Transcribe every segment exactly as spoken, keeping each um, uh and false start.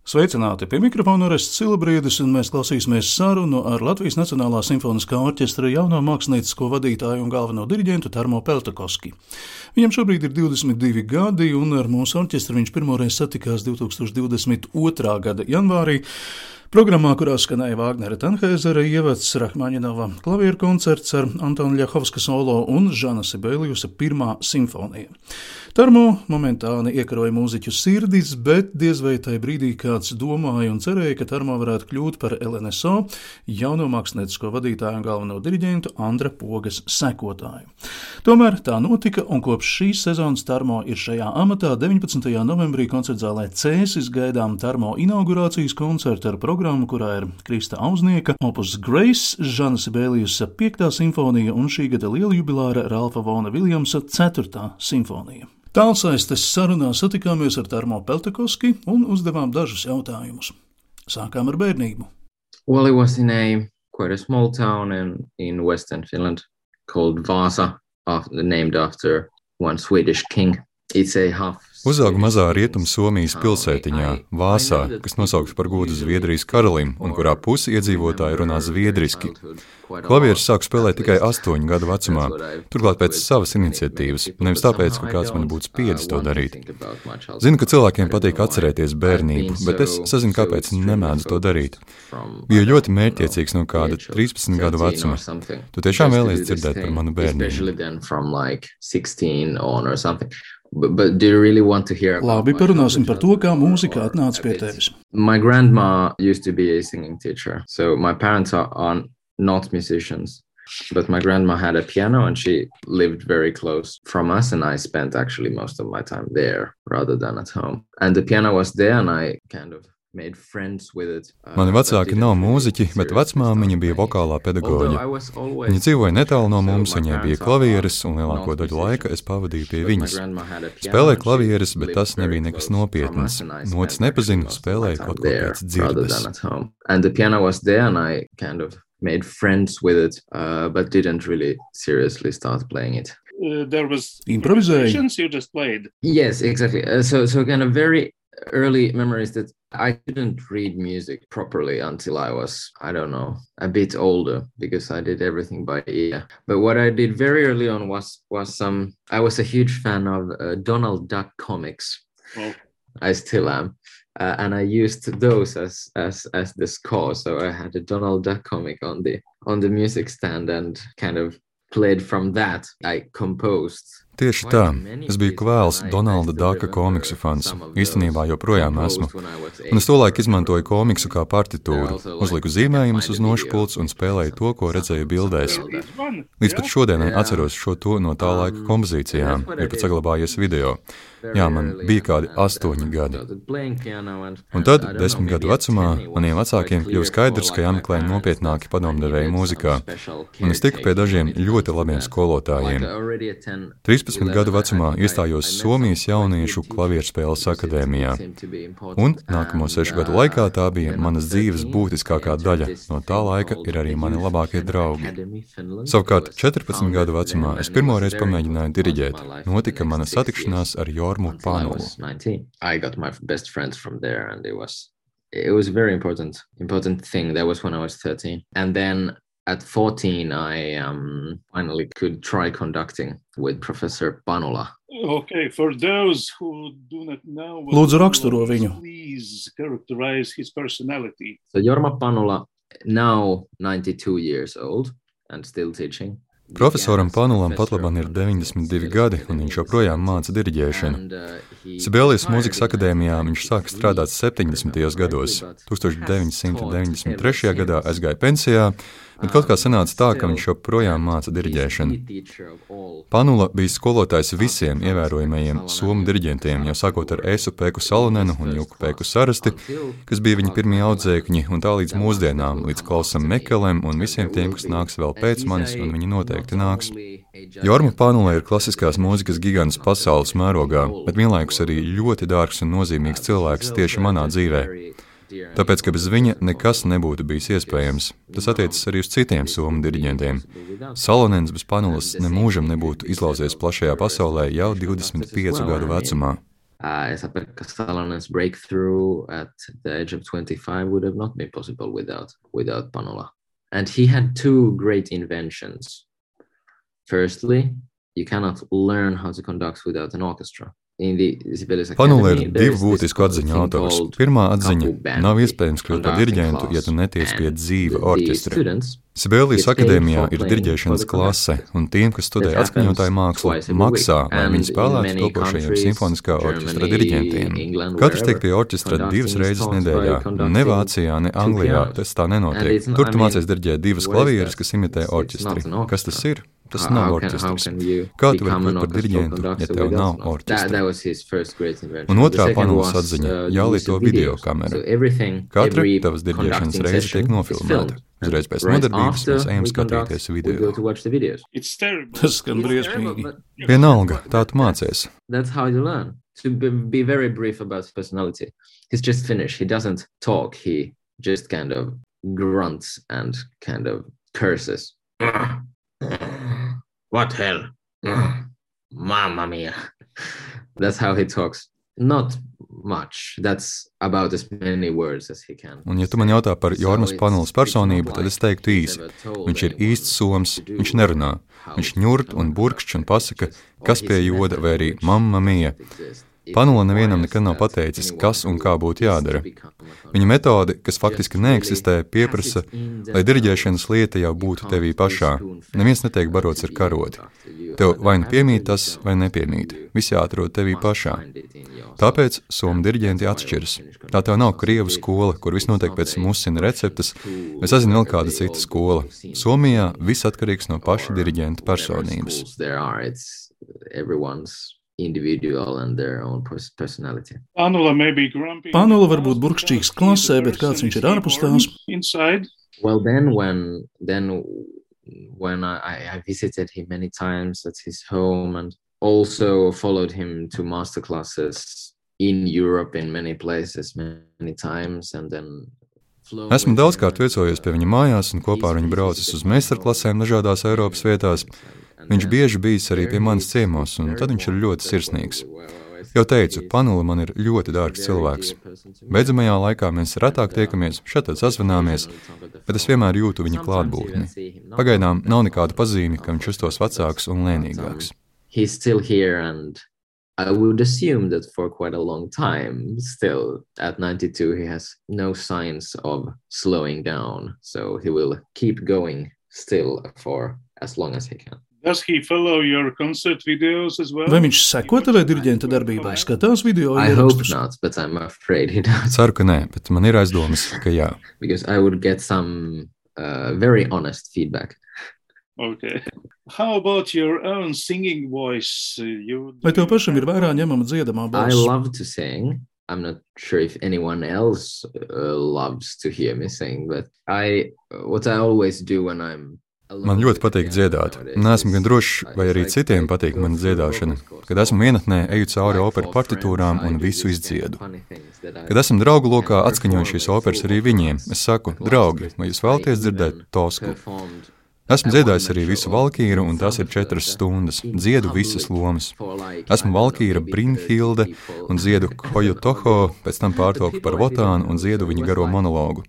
Sveicināti! Pie mikrofona Orests Silabriedis, un mēs klausīsimies sarunu ar Latvijas Nacionālā simfoniskā orķestra jauno māksliniecisko vadītāju un galveno diriģentu Tarmo Peltokoski. Viņam šobrīd ir divdesmit divi gadi, un ar mūsu orķestru viņš pirmoreiz satikās divtūkstoš divdesmit otrā gada janvārī. Programmā, kurā skanēja Vāgnera Tanhēzera ievads, Rahmaņinova klavieru koncerts ar Antona Ļahovska solo un Žana Sibeliusa pirmā simfonija. Tarmo momentāni iekaroja mūziķu sirdis, bet diez vai tai brīdī kāds domāja un cerēja, ka Tarmo varētu kļūt par L N S O jauno māksliniecisko vadītāju un galveno diriģentu Andra Pogas sekotāju. Tomēr tā notika, un kopš šīs sezonas Tarmo ir šajā amatā. deviņpadsmitajā novembrī koncertzālē Cēsis gaidām Tarmo inaugurācijas koncertu ar programmu, kurā ir Krista Auznieka, Opus Grace, Žana Sibeliusa piektā simfonija un šī gada lieljubilāra Ralfa Vona Viljamsa ceturtā simfonija. Tālsaistes sarunā satikāmies ar Tarmo Peltokoski un uzdevām dažus jautājumus. Sākām ar bērnību. Well, it was in a quite a small town in, in Western Finland called Vasa, after, named after one Swedish king. It's a half... Uzauga mazā rietum Somijas pilsētiņā, Vāsā, kas nosaukts par godu Zviedrijas karalim un kurā pusi iedzīvotāji runā zviedriski. Klavieres sāku spēlēt tikai astoņu gadu vecumā, turklāt pēc savas iniciatīvas, nevis tāpēc, ka kāds man būtu spiedis to darīt. Zinu, ka cilvēkiem patīk atcerēties bērnību, bet es sazinu, kāpēc nemēdzu to darīt. Biju ļoti mērķtiecīgs no kāda trīspadsmit gadu vecuma. Tu tiešām vēlies dzirdēt par manu bērnību? But, but do you really want to hear about Labi, parunāsim par to, kā mūzika atnāca pie tevis. My grandma used to be a singing teacher. So my parents are, are not musicians. But my grandma had a piano and she lived very close from us, and I spent actually most of my time there rather than at home. And the piano was there and I kind of made friends with it. Mani vecāki nav mūziķi, bet vecmāmiņa bija vokālā pedagoģe. Viņa dzīvoja netālu no mums, viņai bija klavieres, un lielāko daļu laika es pavadīju pie viņas. Spēlēju klavieres, bet tas nebija nekas nopietnas. Notis nepazinu, spēlēju kaut ko pēc dzirdes. And the piano was there and I kind of made friends with it, uh, but didn't really seriously start playing it. Uh, there was improvisations, you just played. Yes, exactly. Uh, so, so kind of very early memories that I didn't read music properly until I was, I don't know, a bit older, because I did everything by ear. But what I did very early on was was some. Um, I was a huge fan of uh, Donald Duck comics. Oh. I still am, uh, and I used those as as as the score. So I had a Donald Duck comic on the on the music stand and kind of played from that. I composed. Tieši tā, es biju kvēls Donalda Daka komiksu fans, īstenībā joprojām esmu, un es tolaik izmantoju komiksu kā partitūru, uzliku zīmējumus uz nošpults un spēlēju to, ko redzēju bildēs. Līdz pat šodienai atceros šo to no tā laika kompozīcijām, ir pat saglabājies video. Jā, man bija kādi astoņi gadi. Un tad, desmit gadu vecumā, maniem vecākiem kļuva skaidrs, ka jāmeklē nopietnāki padomdevēji mūzikā, un es tiku pie dažiem ļoti labiem skolotājiem. trīspadsmit gadu vecumā iestājos Somijas jauniešu klavierspēles akadēmijā, un nākamo sešu gadu laikā tā bija manas dzīves būtiskākā daļa, no tā laika ir arī mani labākie draugi. Savukārt, četrpadsmit gadu vecumā es pirmoreiz pamēģināju diriģēt. Notika mana satikšanās ar Jormu Panulu. I got my best friends from there, and it was it was a very important important thing. That was when I was thirteen, and then at fourteen, I um, finally could try conducting with Professor Panula. Okay, for those who do not know, Lūdzu, raksturo viņu. Please characterize his personality. So Jorma Panula, now ninety-two years old and still teaching. Profesoram Panulam patlaban ir deviņdesmit divi gadi, un viņš joprojām māca diriģēšanu. Sibelius mūzikas akadēmijā viņš sāka strādāt septiņdesmitajos gados. tūkstoš deviņi simti deviņdesmit trešajā gadā aizgāja pensijā, bet kaut kā sanāca tā, ka viņš joprojām māca diriģēšanu. Panula bija skolotājs visiem ievērojamajiem somu diriģentiem, jau sākot ar Esu Pēku Salonenu un Juku Pēku Sarasti, kas bija viņa pirmie audzēkņi, un tā līdz mūsdienām, līdz Klausam Mekelem un visiem tiem, kas nāks vēl pēc manis, un viņi noteikti nāks. Jorma Panula ir klasiskās mūzikas gigants pasaules mērogā, bet vienlaikus arī ļoti dārgs un nozīmīgs cilvēks tieši manā dzīvē. Tāpēc, ka bez viņa nekas nebūtu bijis iespējams. Tas attiecas arī uz citiem somu diriģentiem. Salonens bez Panulas nemūžam nebūtu izlauzies plašajā pasaulē jau divdesmit piecu gadu vecumā. Uh, Esa-Pekka Salonen's breakthrough at the age of twenty-five would have not been possible without without Panola. And he had two great inventions. Firstly, you cannot learn how to conduct without an orchestra. Panola ir divu būtisku atziņu autors. Pirmā atziņa – nav iespējams kļūt par diriģentu, ja tu netiec pie dzīva orķestra. Sibēlijas akadēmijā ir diriģēšanas klase, un tiem, kas studē atskaņotāju mākslu, maksā, lai viņi spēlētu topošajiem simfoniskā orķestra diriģentiem. Katrs tiek pie orķestra divas reizes nedēļā. Ne Vācijā, ne Anglijā tas tā nenotiek. Tur tu mācies diriģēt divas klavieres, kas imitē orķestri. Kas tas ir? Tas nav orķestris. Kā tu vari būt par diriģentu, ja tev nav orķestra? Un otrā Panolas atziņa – jālieto videokamera. Katra tavas diriģēšanas reize tiek nofilmēta. Uzreiz pēc nodarbības mēs ejam skatīties video. Tas skan briesmīgi. Vienalga, tā tu mācies. That's how you learn. To be very brief about his personality. He's just Finnish. He doesn't talk. He just kind of grunts and kind of curses. What hell? Mamma mia. That's how he talks. Not much. That's about as many words as he can. Un ja tu man jautā par Jormas Panolas personību, tad es teiktu īsi. Viņš ir īsts soms, viņš nerunā. Viņš ņurt un burkšķ un pasaka, kas pie joda vai arī mamma mia. Panola nevienam nekad nav pateicis, kas un kā būtu jādara. Viņa metode, kas faktiski neeksistē, pieprasa, lai diriģēšanas lieta jau būtu tevī pašā. Neviens netiek barots ar karoti. Tev vai nu piemīt tas, vai nepiemīt. Viss jāatrod tevī pašā. Tāpēc somu diriģenti atšķiras. Tā tev nav krievu skola, kur viss notiek pēc musina receptes, vai sazina vēl kāda cita skola. Somijā viss atkarīgs no paša diriģenta personības. Individual and their own personality. Panola var būt burkšķīgs klasē, bet kāds viņš ir ārpus tās? Well, then when then when I, I visited him many times at his home and also followed him to master classes in Europe in many places many times and then Esmu daudzkārt viesojies pie viņa mājās un kopā ar viņu braucis uz meistarklasēm dažādās Eiropas vietās. Viņš bieži bijis arī pie manis ciemos, un tad viņš ir ļoti sirsnīgs. Jau teicu, Panola man ir ļoti dārgs cilvēks. Beidzamajā laikā mēs retāk tiekamies, šeit sazvanāmies, bet es vienmēr jūtu viņa klātbūtni. Pagaidām nav nekāda pazīme, ka viņš justos vecāks un lēnīgāks. He's still here and I would assume that for quite a long time, still at ninety-two, he has no signs of slowing down, so he will keep going still for as long as he can. Does he follow your concert videos as well? Vai viņš seko tavai diriģenta darbībai, skatās video I hope ierakstus? not, but I'm afraid he does. Ceru, ka nē, bet man ir aizdomas, ka jā. Because I would get some uh, very honest feedback. Okay. How about your own singing voice? You... Vai tev pašam ir vērā ņemama dziedamā I balss? love to sing. I'm not sure if anyone else uh, loves to hear me sing, but I what I always do when I'm Man ļoti patīk dziedāt. Neesmu gan drošs, vai arī citiem patīk mana dziedāšana. Kad esmu vienatnē, eju cauri operu partitūrām un visu izdziedu. Kad esam draugu lokā, atskaņoju šīs operas arī viņiem. Es saku, draugi, vai jūs vēlaties dzirdēt Tosku? Esmu dziedājis arī visu Valkīru, un tās ir četras stundas. Dziedu visas lomas. Esmu Valkīra Brynhilde un dziedu Hojo Toho, pēc tam pārtopu par Votānu un dziedu viņa garo monologu.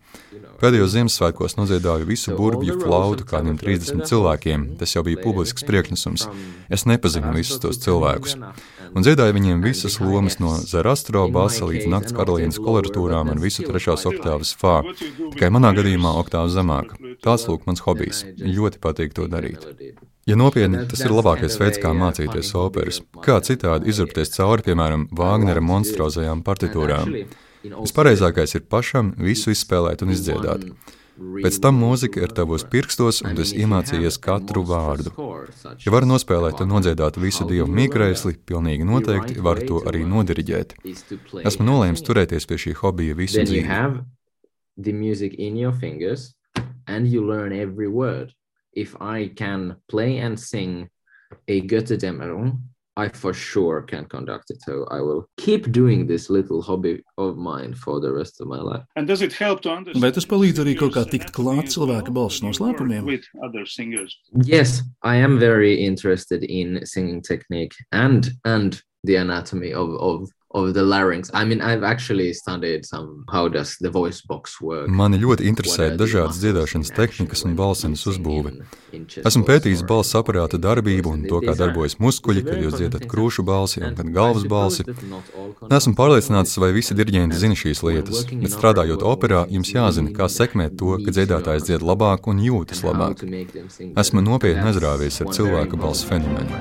Pēdējos Ziemassvētkos nodziedāju visu burbju flautu kādiem trīsdesmit cilvēkiem. Tas jau bija publisks priekšnesums. Es nepazinu visus tos cilvēkus. Un dziedāju viņiem visas lomas no Zarastro basa līdz Nakts karalienes koloratūrām un visu trešās oktāvas fā. Tikai manā gadījumā oktāva zemāk. Tāds lūk mans hobijs. Ļoti patīk to darīt. Ja nopietni, tas ir labākais veids, kā mācīties operas. Kā citādi izurpties cauri, piemēram, Vāgnera monstrozajām partitūrām. Vispareizākais ir pašam visu izspēlēt un izdziedāt. Pēc tam mūzika ir tavos pirkstos, un tu esi iemācījies katru vārdu. Ja varu nospēlēt un nodziedāt visu dievu mīkreisli, pilnīgi noteikti varu to arī nodiriģēt. Esmu nolēmis turēties pie šī hobija visu dzīvi. If I can play and sing a Götterdämmerung, I for sure can conduct it. So I will keep doing this little hobby of mine for the rest of my life. And does it help to understand? Vai tas palīdz arī kaut kā tikt klāt cilvēka balss noslēpumiem? With other singers. Yes, I am very interested in singing technique and and the anatomy of of of the larynx. I mean, I've actually studied some how does the voice box work. Mani ļoti interesē dažādas dziedāšanas tehnikas un balsenes uzbūve. Esmu pētījis balss aparāta darbību un to, kā darbojas muskuļi, kad jūs dziedat krūšu balsi un kad galvas balsi. Nesmu pārliecināts, vai visi diriģenti zina šīs lietas, bet strādājot operā, jums jāzina, kā sekmēt to, ka dziedātājs dzied labāk un jūtas labāk. Esmu nopietni aizrāvies ar cilvēka balss fenomenu.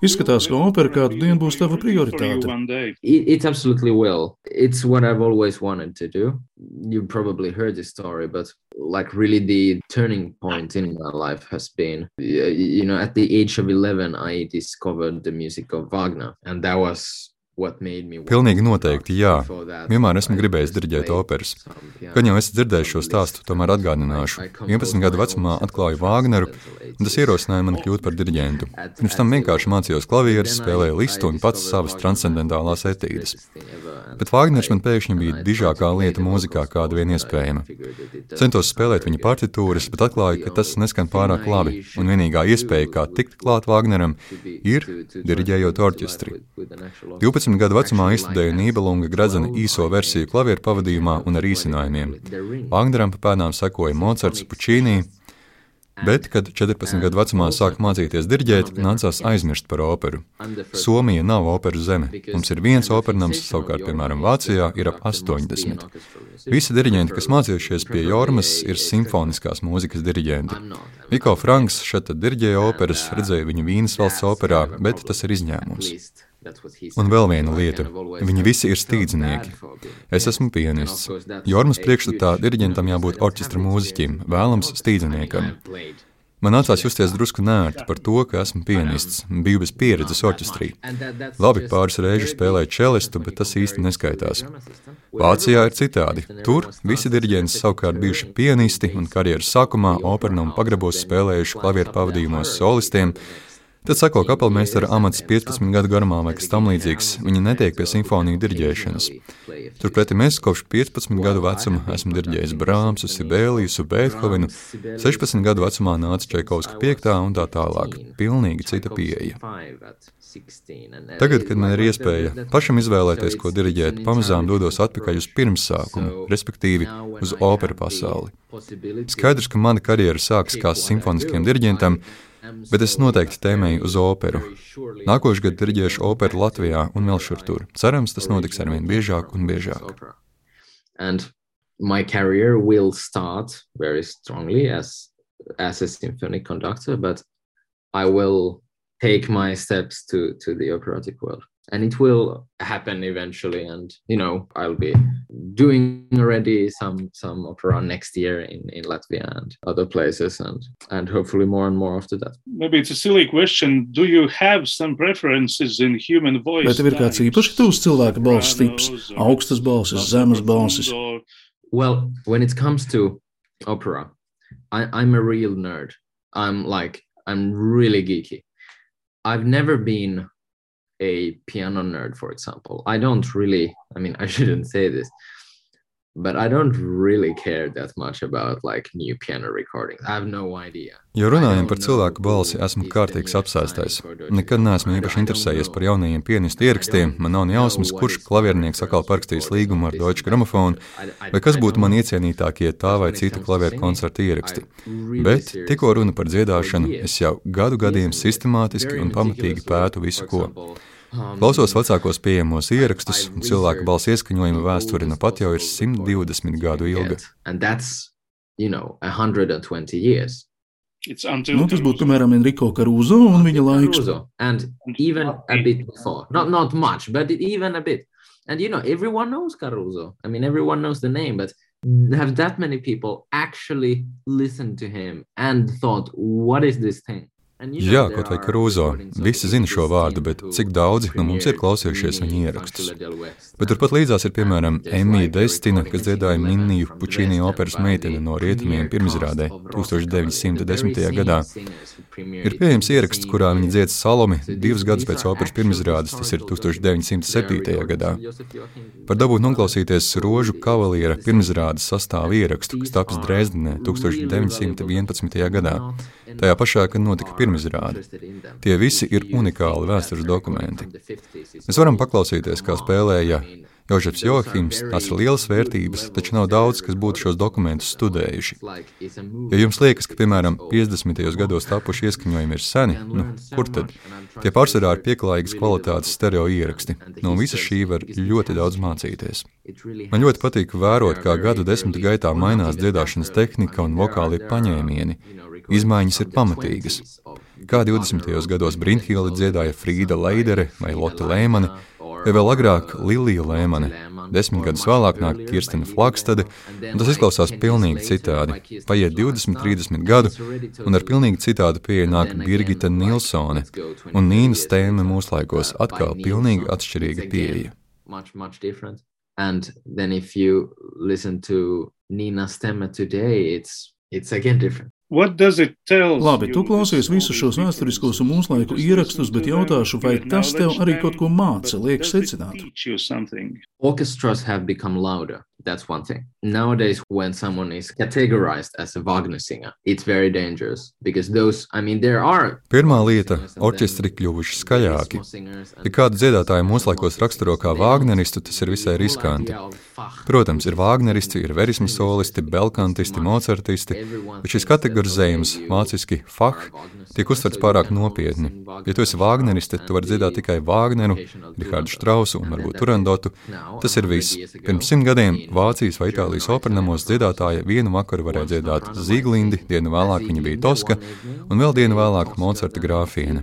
Izskatās, ka opera kādu dienu būs tava prioritāte. It, it absolutely will. It's what I've always wanted to do. You probably heard this story, but like really the turning point in my life has been, you know, at the age of eleven, I discovered the music of Wagner, and that was Pilnīgi noteikti, jā. Vienmēr esmu gribējis diriģēt operas. Kad jau esat dzirdējis šo stāstu, tomēr atgādināšu. vienpadsmit gadu vecumā atklāju Vāgneru, un tas ierosināja mani kļūt par diriģentu. Pirms tam vienkārši mācījos klavieres, spēlēju listu un pats savas transcendentālās etīdes. Bet Vāgners man pēkšņi bija dižākā lieta mūzikā, kāda vien iespējama. Centos spēlēt viņa partitūras, bet atklāju, ka tas neskan pārāk labi, un vienīgā iespēja, kā tikt klāt Vāgneram, ir diriģējot orķestri. divpadsmit gadu vecumā izstudēju Nībelunga Gradzena īso versiju klavieru pavadījumā un ar īsinājumiem. Vāgneram pa pēdām sekoja Mocarts, Pučīnī, bet, kad četrpadsmit gadu vecumā sāku mācīties diriģēt, nācās aizmirst par operu. Somija nav operu zeme. Mums ir viens opernams, savukārt, piemēram, Vācijā ir ap astoņdesmit. Visi diriģenti, kas mācījušies pie Jormas, ir simfoniskās mūzikas diriģenti. Viko Franks šeit diriģēja operas, redzēju viņu Vīnes valsts operā, bet tas ir izņēmums. Un vēl viena lieta. Viņi visi ir stīdznieki. Es esmu pianists. Jormas priekšstatā diriģentam jābūt orķestra mūziķim, vēlams stīdzniekam. Man nācās justies drusku nērti par to, ka esmu pianists, biju bez pieredzes orķestrī. Labi, pāris reižu spēlēju čelistu, bet tas īsti neskaitās. Vācijā ir citādi. Tur visi diriģenti savukārt bijuši pianisti un karjeras sākumā opernu un pagrabos spēlējuši klavieru pavadījumos solistiem. Tad sako kapelmeistara amats piecpadsmit gadu garumā vai kas tam līdzīgs, viņi netiek pie simfoniju diriģēšanas. Turpretī es kopš piecpadsmit gadu vecuma esmu diriģējis Brāmsu, Sibēlijusu, Beethovenu, sešpadsmit gadu vecumā nāca Čaikovska piektā un tā tālāk. Pilnīgi cita pieeja. Tagad, kad man ir iespēja pašam izvēlēties, ko diriģēt, pamazām dodos atpakaļ uz pirmsākumu, respektīvi uz operu pasauli. Skaidrs, ka mana karjera sākas kā simfoniskiem diriģentam, bet es noteikti tēmēju uz operu. Nākošu gadu diriģēšu operu Latvijā un vēl šur tur. Cerams, tas notiks arvien biežāk un biežāk. And my career will start very strongly as, as a symphonic conductor, but I will take my steps to, to the operatic world. And it will happen eventually, and you know, I'll be doing already some some opera next year in, in Latvia and other places, and and hopefully more and more after that. Maybe it's a silly question. Do you have some preferences in human voice? Vai tev ir kāds īpaši tūs cilvēka balss tips, augstas balsis, zemes balsis? Well, when it comes to opera, I, I'm a real nerd. I'm like I'm really geeky. I've never been a piano nerd, for example. I don't really, I mean, I shouldn't say this, but I don't really care that much about like new piano recordings. I have no idea. Ja runājam par cilvēku balsi, esmu kārtīgs apsēstais. Nekad neesmu īpaši interesējies par jaunajiem pianistu ierakstiem, man nav jausmas, kurš klaviernieks atkal parakstījis līgumu ar Deutsche Grammophon, vai kas būtu man iecienītākie tā vai cita klavieru koncerta ieraksti. Bet, tikko runa par dziedāšanu, es jau gadu gadiem sistemātiski un pamatīgi pētu visu ko. Klausos vecākos pieejamos ierakstus, un cilvēka balss ieskaņojuma vēsture nu pat jau ir simt divdesmit gadu ilga. you know, one hundred twenty years. Nu, tas būtu, piemēram, Enrico Caruso un viņa laiks. Caruso, and even a bit before. Not not much, but even a bit. And you know, everyone knows Caruso. I mean, everyone knows the name, but have that many people actually listened to him and thought, what is this thing? Jā, kaut vai Caruso. Visi zina šo vārdu, bet cik daudzi no mums ir klausījušies viņa ierakstus. Bet turpat līdzās ir, piemēram, Emija Destina, kas dziedāja Minniju Pučīni operas meiteni no rietumiem pirmizrādē tūkstoš deviņi simti desmitajā gadā. Ir pieejams ieraksts, kurā viņa dzied Salomi divus gadus pēc operas pirmizrādes, tas ir tūkstoš deviņi simti septītajā gadā. Var dabūt noklausīties Rožu kavaliera pirmizrādes sastāvu ierakstu, kas taps Dresdenē tūkstoš deviņi simti vienpadsmitajā gadā. Tajā pašā, kad notika pirmizrāde. Tie visi ir unikāli vēstures dokumenti. Mēs varam paklausīties, kā spēlēja Jožefs Joahims, tās ir lielas vērtības, taču nav daudz, kas būtu šos dokumentus studējuši. Ja jums liekas, ka, piemēram, piecdesmitajos gados tapuši ieskaņojumi ir seni, nu, kur tad? Tie pārsvarā ir pieklājīgas kvalitātes stereo ieraksti. No visa šī var ļoti daudz mācīties. Man ļoti patīk vērot, kā gadu desmitu gaitā mainās dziedāšanas tehnika un vokāli paņēmieni. Izmaiņas ir pamatīgas. Kā divdesmitajos gados Brynhilde dziedāja Frīda Leidere vai Lotte Lēmane, vai vēl agrāk Lilija Lēmane. Desmit gadus vēlāk nāk Kirstena Flagstade, un tas izklausās pilnīgi citādi. Paiet divdesmit, trīsdesmit gadu, un ar pilnīgi citādu pieeja nāk Birgita Nilsone, un Nīna Stēme mūslaikos atkal pilnīgi atšķirīga pieeja. Much, much different. And then if you listen to Nina Stemme today, it's, it's again different. Labi, tu klausies visus šos vēsturiskos un mūslaiku ierakstus, bet jautāšu, vai tas tev arī kaut ko māca, liek secināt? Orchestras have become louder. That's one thing. Nowadays, when someone is categorized as a Wagner singer, it's very dangerous because those, I mean, there are... Pirmā lieta – orķestri kļuvuši skaļāki. Ja kādu dziedātāju mūslaikos raksturo kā Wagneristu, tas ir visai riskanti. Protams, ir Wagneristi, ir verisma solisti, belkantisti, mocartisti, bet šis kategorizējums, vāciski Fach, tiek uztverts pārāk nopietni. Ja tu esi Wagnerists, tad tu vari dziedāt tikai Wagneru, Richārdu Štrausu un varbūt Turandotu. Tas ir viss. Pirms simt gadiem Vācijas vai Itālijas operanamos dziedātāja vienu vakaru varēja dziedāt Zīglindi, dienu vēlāk viņa bija Toska, un vēl dienu vēlāk Mocarta grāfiene.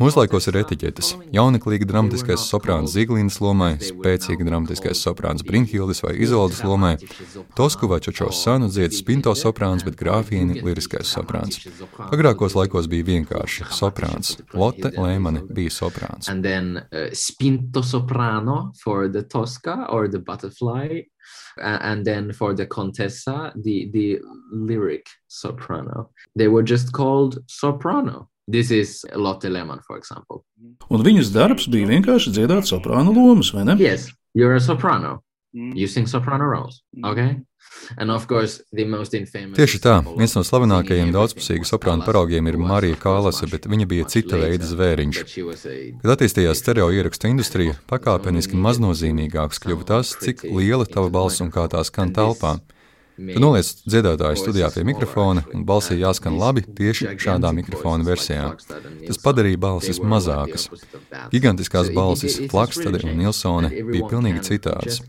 Mūslaikos ir etiķetes. Jauneklīga dramatiskais soprāns Zīglindas lomai, spēcīga dramatiskais soprāns Brynhildes vai Izoldas lomai, Tosku vai Čočo Sanu dzied spinto soprāns, bet grāfieni liriskais soprāns. Agrākos laikos bija vienkārši soprāns. Lotte Lēmane bija soprāns. And then uh, spinto soprano for the Tosca or the butterfly. And then for the Contessa, the, the lyric soprano. They were just called soprano. This is Lotte Lehmann, for example. Un viņas darbs bija vienkārši dziedāt soprānu lomas, vai ne? Yes, you're a soprano. You sing soprano roles, okay? And of course, the most infamous... Tieši tā, viens no slavenākajiem daudzpusīgu soprānu paraugiem ir Marija Kālase, bet viņa bija cita veida zvēriņš. Kad attīstījās stereo ierakstu industrija, pakāpeniski maznozīmīgāks kļuva tas, cik liela tava balss un kā tā skan telpā. Tu noliec dziedātāju studijā pie mikrofona, un balsī jāskan labi tieši šādā mikrofona versijā. Tas padarīja balsis mazākas. Gigantiskās balsis Flagstade un Nilsone bija pilnīgi citādas.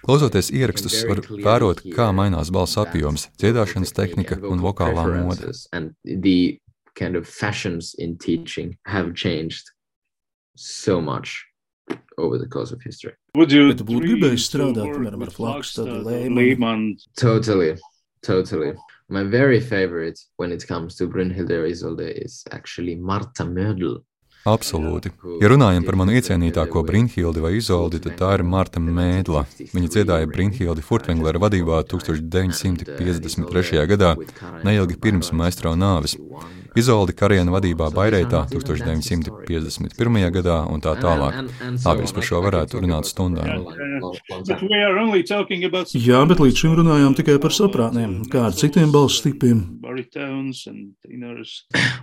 Klausoties ierakstus, var vērot, kā mainās balss apjoms, dziedāšanas tehnika un vokālā mode. The kind of fashions in teaching have changed so much over the course of history. Would you Bet tu būtu gribējis strādāt, piemēram, ar Flagstadu, Lēmanu? Totally, totally. My very favorite when it comes to Brynhilde or Isolde is actually Marta Mödl. Absolūti. Ja runājam par manu iecienītāko Brynhildi vai Izoldi, tad tā ir Marta Mēdla. Viņa dziedāja Brynhildi Furtwänglera vadībā tūkstoš deviņi simti piecdesmit trešajā gadā, neilgi pirms maestro nāves. Izoldi Kariena vadībā Baireitā tūkstoš deviņi simti piecdesmit pirmajā gadā un tā tālāk. Labi, es par šo varētu runāt stundām. Jā, bet līdz šim runājām tikai par soprāniem. Kā ar citiem balss tipiem?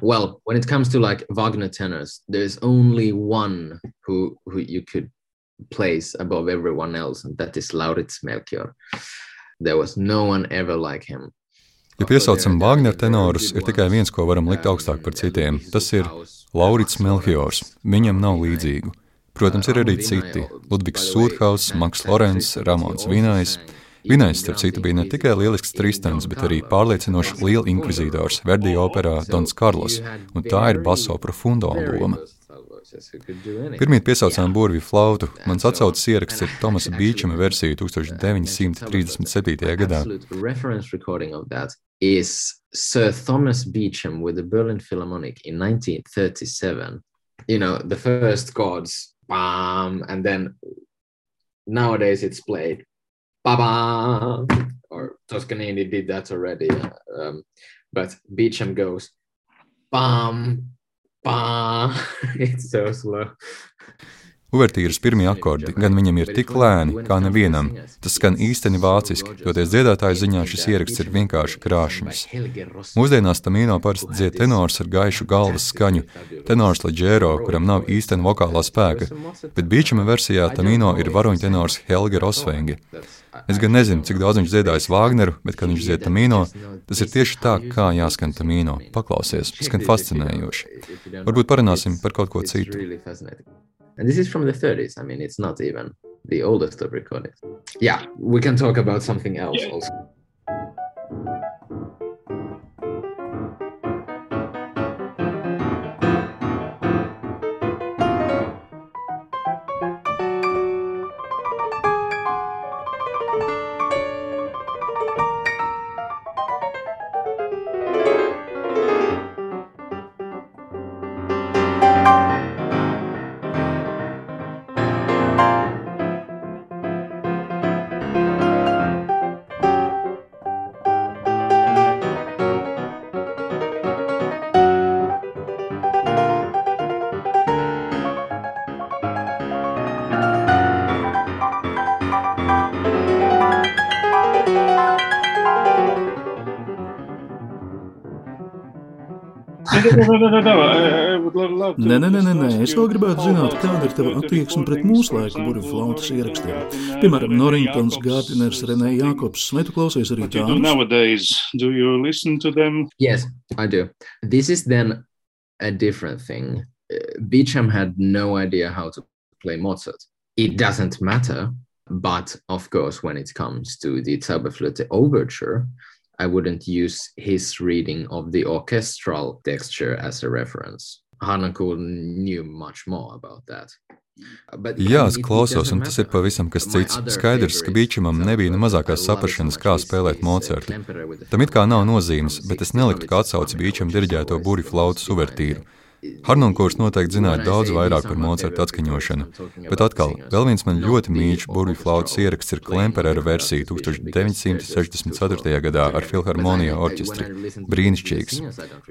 Well, when it comes to like Wagner tenors, there's only one who, who you could place above everyone else, and that is Lauritz Melchior. There was no one ever like him. Ja piesaucam Wagner tenorus, ir tikai viens, ko varam likt augstāk par citiem. Tas ir Lauritz Melchiors. Viņam nav līdzīgu. Protams, ir arī citi. Ludvigs Sūrhauss, Maks Lorents, Ramons Vinājs. Vinējs, starp citu, bija ne tikai lielisks Tristans, bet arī pārliecinošs liela inkvizītors Verdi operā Dons Karlos, un tā ir basso profundo loma. Pirmīt piesaucām burvju flautu. Mans atsauces ieraksts ir Tomasa Beachama versija tūkstoš deviņi simti trīsdesmit septītajā gadā. Is Sir Thomas Beecham with the Berlin Philharmonic in nineteen thirty-seven. You know, the first chords, bam, and then nowadays it's played, ba-bam, or Toscanini did that already, um, but Beecham goes, bam, bam, it's so slow. Uvertīras pirmie akordi gan viņam ir tik lēni, kā nevienam. Tas skan īsteni vāciski, toties dziedātāju ziņā šis ieraksts ir vienkārši krāšņs. Mūsdienās Tamino parasti dzied tenors ar gaišu galvas skaņu, tenors leģero, kuram nav īsteni vokālā spēka, bet Beechama versijā Tamino ir varoņtenors Helge Rosvenge. Es gan nezinu, cik daudz viņš dziedājis Vāgneru, bet, kad viņš dzied Tamino, tas ir tieši tā, kā jāskan Tamino. Paklausies, skan fascinējoši. Varbūt parunāsim par kaut ko citu. And this is from the thirties. I mean, it's not even the oldest of recordings. Yeah, we can talk about something else yeah. also. Nē, nē, nē, nē, nē. Es vēl gribētu zināt, kāda ir tava attieksme pret mūsu laiku burvju flautas ierakstiem. Piemēram, Norringtons, Gardiners, Renē Jākobs. Vai tu klausies arī tādus? Nowadays, do you listen to them? Yes, I do. This is then a different thing. Beecham had no idea how to play Mozart. It doesn't matter, but of course, when it comes to the Zauberflöte Overture, I wouldn't use his reading of the orchestral texture as a reference. Harnoncourt knew much more about that. But Jā, es klausos, un tas ir pavisam kas cits. Skaidrs, ka Beechamam nebija ne mazākās saprašanas, kā spēlēt Mocartu. Tam it kā nav nozīmes, bet es neliktu kā atsauci Beecham diriģēto burvju flautas uvertīru. Harnoncourts noteikti zināja daudz vairāk par Mocarta atskaņošanu, bet atkal, vēl viens man ļoti mīļš burvju flautas ieraksts ir Klemperera versija tūkstoš deviņi simti sešdesmit ceturtajā gadā ar Filharmonija orķestri. Brīnišķīgs.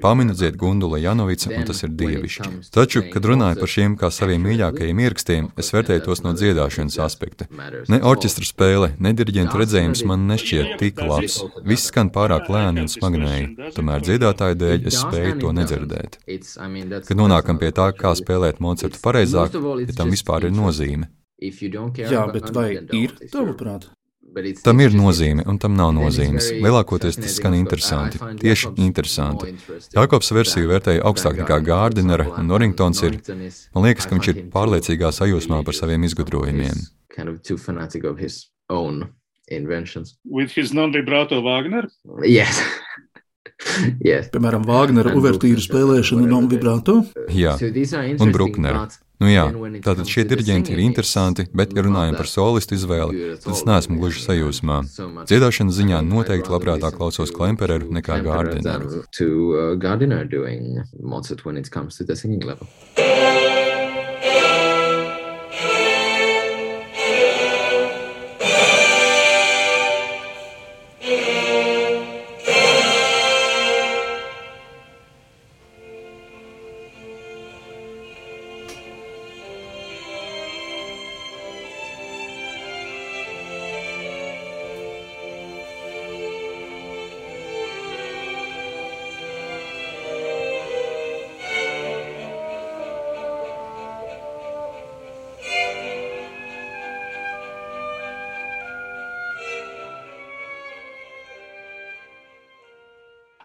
Paminu dzied Gundula Janovica, un tas ir dievišķi. Taču, kad runāju par šiem kā saviem mīļākajiem ierakstiem, es vērtēju tos no dziedāšanas aspekta. Ne orķestra spēle, ne diriģenta redzējums man nešķiet tik labs. Viss skan pārāk lēni un smagnēji, tomēr dziedātāju dēļ es spēju to nedzirdēt. Kad nonākam pie tā, kā spēlēt Mocartu pareizāk, ja tam vispār ir nozīme. Jā, bet vai ir tavuprāt? Tam ir nozīme, un tam nav nozīmes. Lielākoties tas skan interesanti, tieši interesanti. Jākobs versiju vērtēja augstāk nekā Gardinera, un Norringtons ir, man liekas, ka viņš ir pārliecīgā sajūsmā par saviem izgudrojumiem. With his non-vibrato Wagner? Yes. Yes. Piemēram, Vāgnera uvertīru spēlēšanu non-vibrato? Jā, un Brucknera. Nu jā, tātad šie diriģenti ir interesanti, bet, ja runājam par solistu izvēli, tad es neesmu gluži sajūsmā. Dziedāšanas ziņā noteikti labprātāk klausos Klempereru nekā Gardineru. To Gardiner doing Mozart when it comes to the singing level.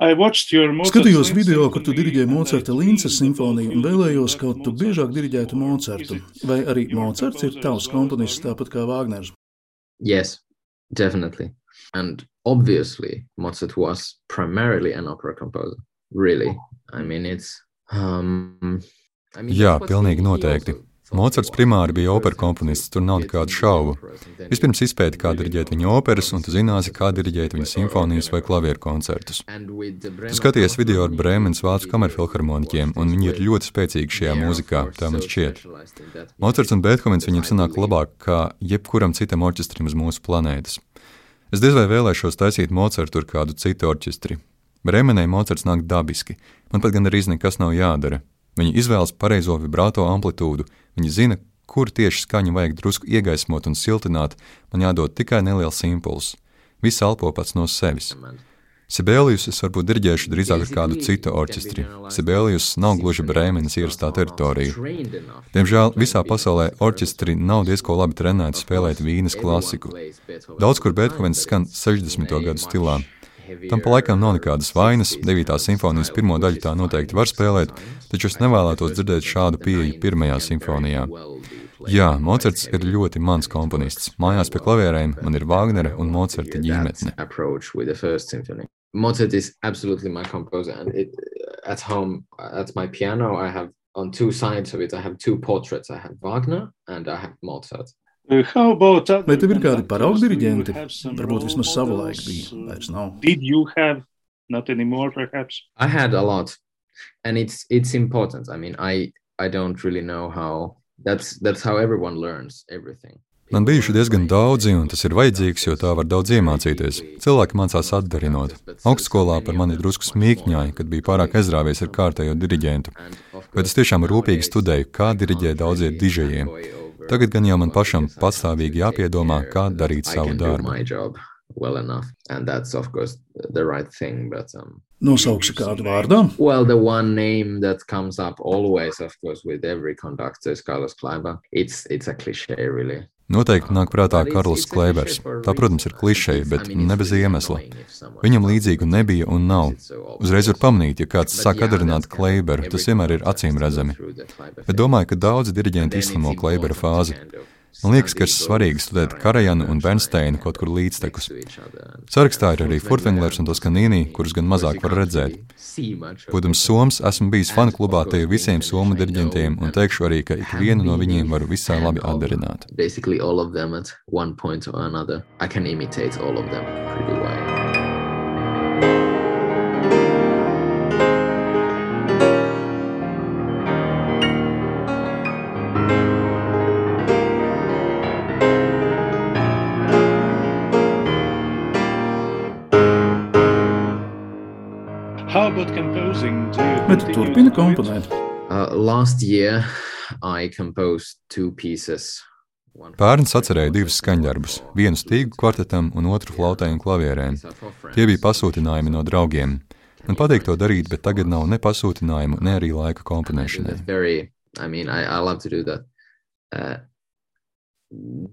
Skatījos video, kur tu diriģēji Mocarta Linces simfoniju un vēlējos, kaut tu biežāk diriģētu Mocartu. Vai arī Mocarts ir tavs komponists tāpat kā Vāgners? Yes, Definitely. And obviously, Mozart was primarily an opera composer. Really. I mean, it's... Um, I mean, Jā, pilnīgi noteikti. Mocarts primāri bija opera komponists, tur nav nekādu šaubu. Vispirms izpēti, kā diriģēt viņa operas, un tu zināsi, kā diriģēt viņa simfonijas vai klavieru koncertus. Tu skaties video ar Brēmenes vācu kamerfilharmoniķiem, un viņi ir ļoti spēcīgi šajā mūzikā, tā man šķiet. Mocarts un Bēthovens viņam sanāk labāk kā jebkuram citam orķestrim uz mūsu planētas. Es diez vai vēlēšos taisīt Mocartu ar kādu citu orķestri. Brēmenē Mocarts nāk dabiski, man pat gan arī nekas nav jādara. Viņi izvēlas pareizo vibrato amplitūdu, viņi zina, kur tieši skaņu vajag drusku iegaismot un siltināt, man jādod tikai neliels impulss. Viss elpo pats no sevis. Sibelius es varbūt diriģēšu drīzāk ar kādu citu orķestri. Sibelius nav gluži Brēmenes ierastā teritorija. Diemžēl visā pasaulē orķestri nav diezko labi trenēti spēlēt Vīnes klasiku. Daudz kur Bēthovens skan sešdesmito gadu stilā. Tam pa laikam nav nekādas vainas, devītās simfonijas pirmo daļu tā noteikti var spēlēt, taču es nevēlētos dzirdēt šādu pieeju pirmajā simfonijā. Jā, Mocarts ir ļoti mans komponists. Mājās pie klavierēm man ir Vāgnera un Mocarta ģimene. Mozart is absolutely my composer, and it, at home, at my piano, I have on two sides of it, I have two portraits. I have Wagner and I have Mozart. Vai tev ir kādi paraugu diriģenti? Varbūt vismaz savulaik bija, vairs nav. Did you have not anymore, perhaps? I had a lot, and it's it's important. I mean, I I don't really know how. That's that's how everyone learns everything. Man bijuši diezgan daudzi, un tas ir vajadzīgs, jo tā var daudz iemācīties. Cilvēki mācās atdarinot. Augstskolā par mani drusku smīkņāja, kad bija pārāk aizrāvies ar kārtējo diriģentu. Bet es tiešām rūpīgi studēju, kā diriģē daudzie dižējiem. Tagad gan jau man pašam patstāvīgi jāpiedomā, kā darīt savu darbu. Well enough, and that's of course the right thing, but um Nosauksi kādu vārdā? Well, the one name that comes up always, of course, with every conductor is Carlos Kleiber. It's it's a cliché, really. Noteikti nāk prātā Karls Kleibers. Tā, protams, ir klišeja, bet ne bez iemesla. Viņam līdzīgu nebija un nav. Uzreiz var pamanīt, ja kāds sāk atdarināt Kleiberu, tas vienmēr ir acīm redzami. Bet domāju, ka daudzi diriģenti izslimo Kleibera fāzi. Man liekas, ka ir svarīgi studēt Karajanu un Bernsteinu kaut kur līdztekus. Sarakstā ir arī Furtwänglers un Toscanini, kurus gan mazāk var redzēt. Būdams Soms, esmu bijis fanu klubā te visiem somu diriģentiem un teikšu arī, ka ikvienu no viņiem varu visai labi atdarināt. Basically all of them at one point or another. I can imitate all of them pretty well. Bet tu turpini komponēt? Uh, last year I composed two pieces. Pērns atcerēja divus skaņdarbus, vienu stīgu kvartetam un otru flautai un klavierēm. Tie bija pasūtinājumi no draugiem. Man patīk to darīt, bet tagad nav ne pasūtinājumu, ne arī laika komponēšanai. Very, I mean, I, I love to do that. Uh,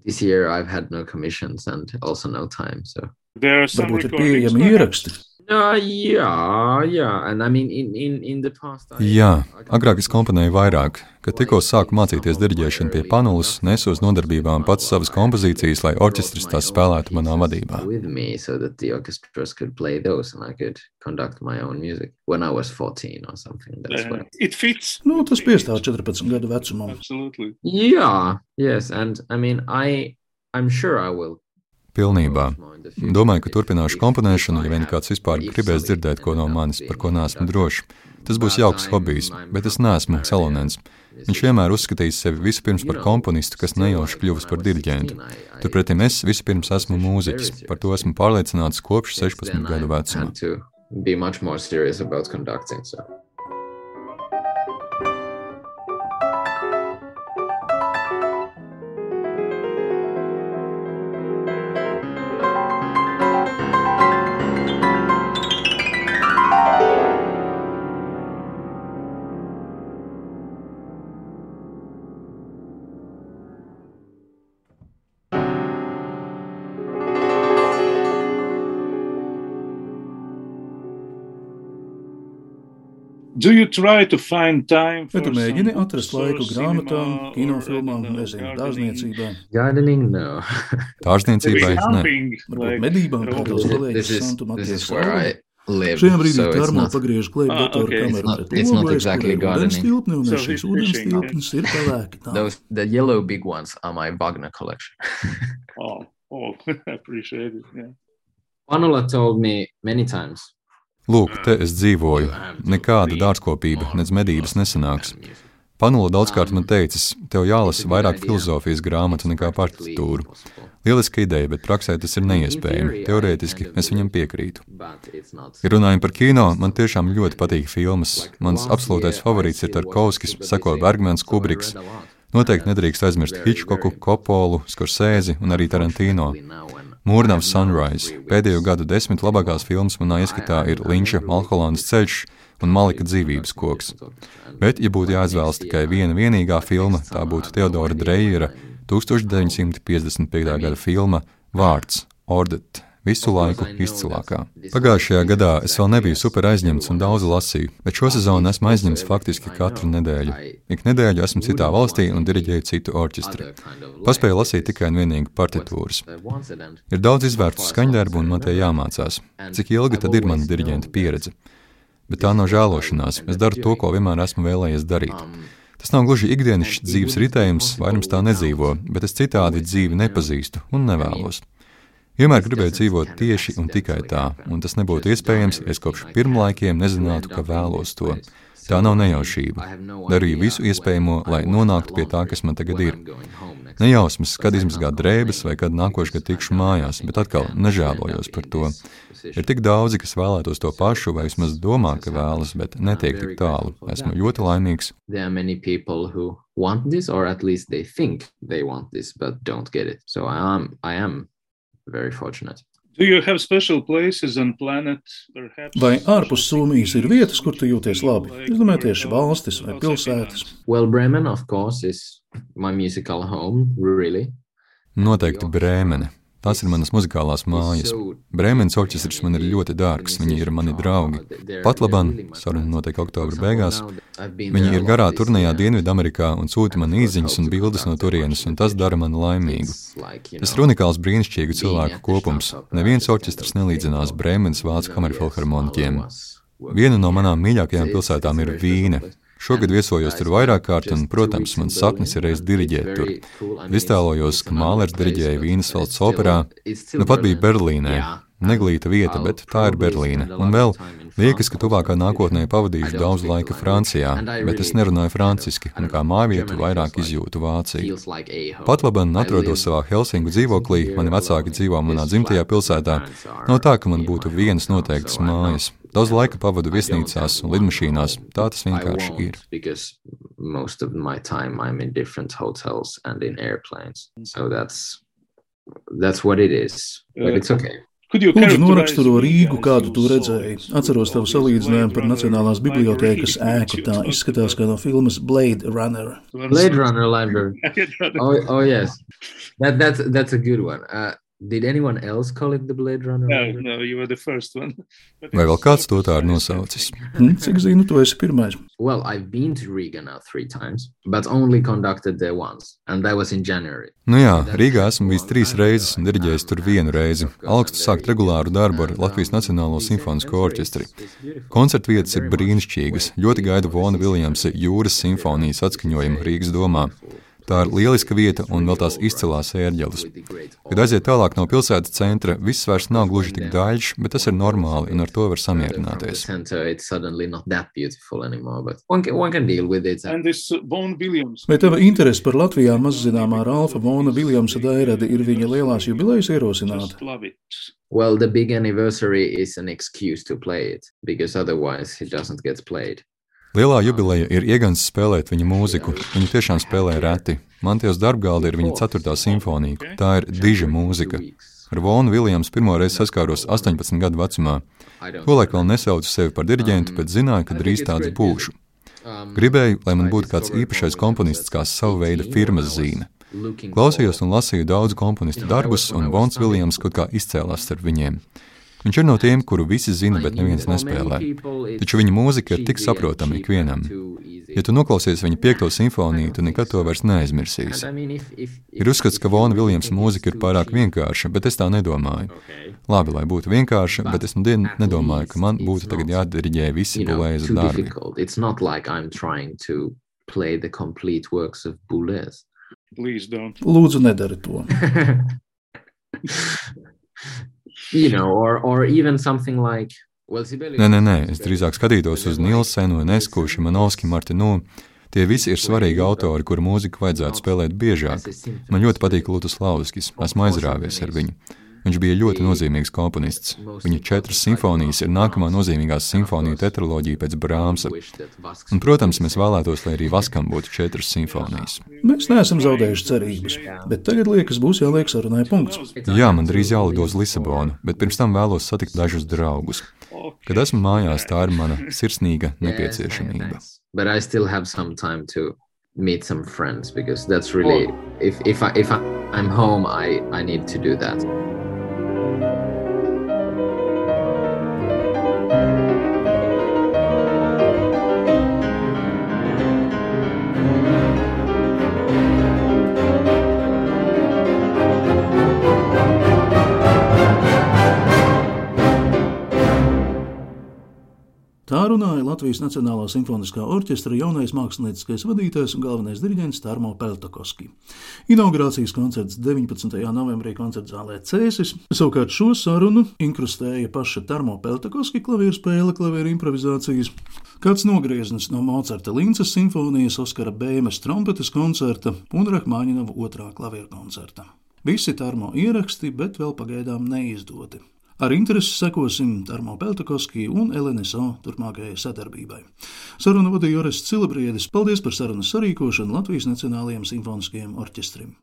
this year I've had no commissions and also no time, so. Varbūt ir pieejami ieraksti. Uh, yeah, yeah, and I mean, in, in, in the past... I, Jā, agrāk es komponēju vairāk. Kad tikko sāku mācīties diriģēšanu pie panulas, nesu uz nodarbībām pats savas kompozīcijas, lai orķestris tās spēlētu manā vadībā. With me, so that the orchestras could play those and I could conduct my own music when I was fourteen or something. That's Uh, what... it fits. Nu, tas piestāv četrpadsmit gadu vecumam. Absolutely. Yeah, yes, and I mean, I, I'm sure I will. Pilnībā. Domāju, ka turpināšu komponēšanu, ja vien kāds vispār gribēs dzirdēt ko no manis, par ko neesmu drošs. Tas būs jauks hobijs, bet es neesmu Salonens. Viņš vienmēr uzskatījis sevi vispirms par komponistu, kas nejauši kļuvis par diriģentu. Turpretim es vispirms esmu mūziķis, par to esmu pārliecināts kopš sešpadsmit gadu vecuma. And to be much more serious about conducting, so. Do you try to find time Vai for tu mēģini some atrast books or laiku grāmatām, cinema or, kinofilmām, I don't know, nezinu, gardening? dārzniecībai? Gardening, no. Dārzniecībai Maybe ne. camping, Varbūt like medībām, kā Rome. tavs This kolēģis is Santu this Matijas is where Salva. I live, Šajā brīdī so it's Tarmo not. pagriež klēp Ah, datoru okay. kameru It's not- pret it's not logu, exactly kur ir gardening. ūdenstilpni, un So šis he's ūdenstilpnis ir pelēki tā. Those the yellow big ones are my Wagner collection. Oh, oh, I appreciate it. Yeah. Panula told me many times. Lūk, te es dzīvoju. Nekāda dārzkopība, nec medības nesanāks. Panula daudzkārt man teicis, tev jālasa vairāk filozofijas grāmatu nekā partitūru. Lieliska ideja, bet praksē tas ir neiespējami. Teorētiski es viņam piekrītu. Ja runājam par kino, man tiešām ļoti patīk filmas. Mans absolūtais favorīts ir Tarkovskis, seko Bergmans, Kubriks. Noteikti nedrīkst aizmirst Hitchcocku, Coppolu, Scorsese un arī Tarantino. Mūrnavs Sunrise. Pēdējo gadu desmit labākās filmas manā ieskatā ir Linča Malholandas ceļš un Malika dzīvības koks. Bet, ja būtu jāizvēlas tikai viena vienīgā filma, tā būtu Teodora Dreyera tūkstoš deviņsimt piecdesmit piekta gada filma Vārds, Ordet. Visu laiku izcilākā. Pagājušajā gadā es vēl nebiju super aizņemts un daudz lasīju, bet šo sezonu esmu aizņemts faktiski katru nedēļu. Ik nedēļu esmu citā valstī un diriģēju citu orķestri. Paspēju lasīt tikai un vienīgi partitūras. Ir daudz izvērtu skaņdarbu un man tie jāmācās. Cik ilgi tad ir mana diriģenta pieredze? Bet tā nav žēlošanās. Es daru to, ko vienmēr esmu vēlējies darīt. Tas nav gluži ikdienišs dzīves ritējums, vairums tā nedzīvo, bet es citādi dzīvi nepazīstu un nevēlos. Vienmēr gribēju dzīvot tieši un tikai tā, un tas nebūtu iespējams, ja es kopš pirmlaikiem nezinātu, ka vēlos to. Tā nav nejaušība. Darīju visu iespējamo, lai nonāktu pie tā, kas man tagad ir. Nejausmas, kad izmazgāt drēbes vai kad nākošais gadu tikšu mājās, bet atkal nežēlojos par to. Ir tik daudzi, kas vēlētos to pašu, vai vismaz domā, ka vēlas, bet netiek tik tālu. Esmu ļoti laimīgs. There are many people who want this, or at least they think they want this, but don't get it. So I am, I am very fortunate. Do you have special places on planet, perhaps? Vai ārpus Somijas ir vietas, kur tu jūties labi? Es domāju, tieši valstis vai pilsētas. Well, Bremen, of course, is my musical home, really. Noteikti Brēmene. Tās ir manas muzikālās mājas. Brēmenes orķestris man ir ļoti dārgs, viņi ir mani draugi. Pat laban, saruna notiek oktobra beigās, viņi ir garā turnejā Dienvidamerikā un sūta man īziņas un bildes no turienes, un tas dara mani laimīgu. Tas ir unikāls brīnišķīgu cilvēku kopums. Neviens orķestris nelīdzinās Brēmenes vācu kamerfilharmoniķiem. Viena no manām mīļākajām pilsētām ir Vīne. Šogad viesojos tur vairāk kārt, un, protams, mans sapnis ir reiz diriģēt tur. Iztēlojos, ka Mālers diriģēja Vīnes valsts operā, nu pat bija Berlīnē. Neglīta vieta, bet tā ir Berlīne. Un vēl liekas, ka tuvākā nākotnē pavadīšu daudz laika Francijā, bet es nerunāju franciski, un kā mājvietu vairāk izjūtu Vāciju. Pat laban atrodos savā Helsinku dzīvoklī, mani vecāki dzīvo manā dzimtajā pilsētā. Nav tā, ka man būtu vienas noteiktas mājas. Daudz laika pavadu viesnīcās un lidmašīnās. Tā tas vienkārši ir. Because most of my time I'm in different hotels and in airplanes. So that's that's what it is. But it's okay. Lūdzu, noraksturo Rīgu, kādu tu redzēji. Atceros tavu salīdzinājumu par Nacionālās bibliotēkas ēku. Tā izskatās kā no filmas Blade Runner. Blade Runner library. Oh, oh yes. That, that's, that's a good one. Uh, Did anyone else call it the Blade Runner? No, no, you were the first one. Vai vēl kāds to tā ir nosaucis? Hmm, cik zinu, tu esi pirmais. Well, I've been to Riga now three times, but only conducted there once, and that was in January. Nu jā, Rīgā esmu bijis trīs reizes un diriģējis tur vienu reizi. Augstu sākt regulāru darbu ar Latvijas Nacionālo simfonisko orķestri. Koncertvietas ir brīnišķīgas. Ļoti gaidu Vona Viljamsa Jūras simfonijas atskaņojumu Rīgas domā. Tā ir lieliska vieta un vēl tās izcilās ērģeles. Kad aiziet tālāk no pilsētas centra, viss vairs nav gluži tik daļš, bet tas ir normāli un ar to var samierināties. Vai tava interese par Latvijā mazzināmā Ralfa Vona Viljamsa dairadi ir viņa lielās jubilejas ierosināta? Well, the big anniversary is an excuse to play it, because otherwise it doesn't get played. Lielā jubileja ir iegans spēlēt viņa mūziku. Viņu tiešām spēlē reti. Mantijos darbgalda ir viņa ceturtā simfonija. Tā ir diža mūzika. Ar Vonu Viljamsu pirmoreiz saskāros astoņpadsmit gadu vecumā. Tolaik vēl nesaucu sevi par diriģentu, bet zināju, ka drīz tāds būšu. Gribēju, lai man būtu kāds īpašais komponists kā savu veidu firmas zīme. Klausījos un lasīju daudzu komponistu darbus, un Vons Viljams kaut kā izcēlās starp viņiem. Viņš ir no tiem, kuru visi zina, bet neviens nespēlē. Taču viņa mūzika ir tik saprotama ikvienam. Ja tu noklausies viņa piekto simfoniju, tu nekad to vairs neaizmirsīsi. Ir uzskats, ka Vona Viljamsa mūzika ir pārāk vienkārša, bet es tā nedomāju. Labi, lai būtu vienkārša, bet es nedien nedomāju, ka man būtu tagad jādiriģē visi Bouleza darbi. It's not like I'm trying to play the complete works of Boulez. Please don't. Lūdzu, nedari to. You know, or, or even something like... Nē, nē, nē, es drīzāk skatītos uz Nilsenu, Enesku, Šimanovski, Martinu. Tie visi ir svarīgi autori, kuru mūziku vajadzētu spēlēt biežāk. Man ļoti patīk Lutoslavskis, esmu aizrāvies ar viņu. Viņš bija ļoti nozīmīgs komponists. Viņa četras simfonijas ir nākamā nozīmīgās simfoniju tetraloģija pēc Brāmsa. Un, protams, mēs vēlētos, lai arī Vaskam būtu četras simfonijas. Mēs neesam zaudējuši cerības, bet tagad liekas būs jāliek sarunai punkts. Jā, man drīz jālido uz Lisabonu, bet pirms tam vēlos satikt dažus draugus. Kad esmu mājās, tā ir mana sirsnīga nepieciešamība. But I still have some time to meet some friends because that's really if if I if I'm home I I need to do that. Tā runāja Latvijas Nacionālā simfoniskā orķestra jaunais mākslinieckais vadītājs un galvenais diriģents Tarmo Peltokoski. Inaugurācijas koncerts deviņpadsmitajā novembrī koncertzālē Cēsis, savukārt šo sarunu inkrustēja paša Tarmo Peltokoski klavierspēle, klavieru improvizācijas, kāds nogrieznis no Mocarta Lincas simfonijas, Oskara Bēmes trompetes koncerta un Rahmaņinova otrā klavieru koncerta. Visi Tarmo ieraksti, bet vēl pagaidām neizdoti. Ar interesi sekosim Tarmo Peltokoski un L N S O turpmākajai sadarbībai. Sarunu vadīja Orests Cilabriedis. Paldies par sarunas sarīkošanu Latvijas Nacionālajiem simfoniskajiem orķestrim.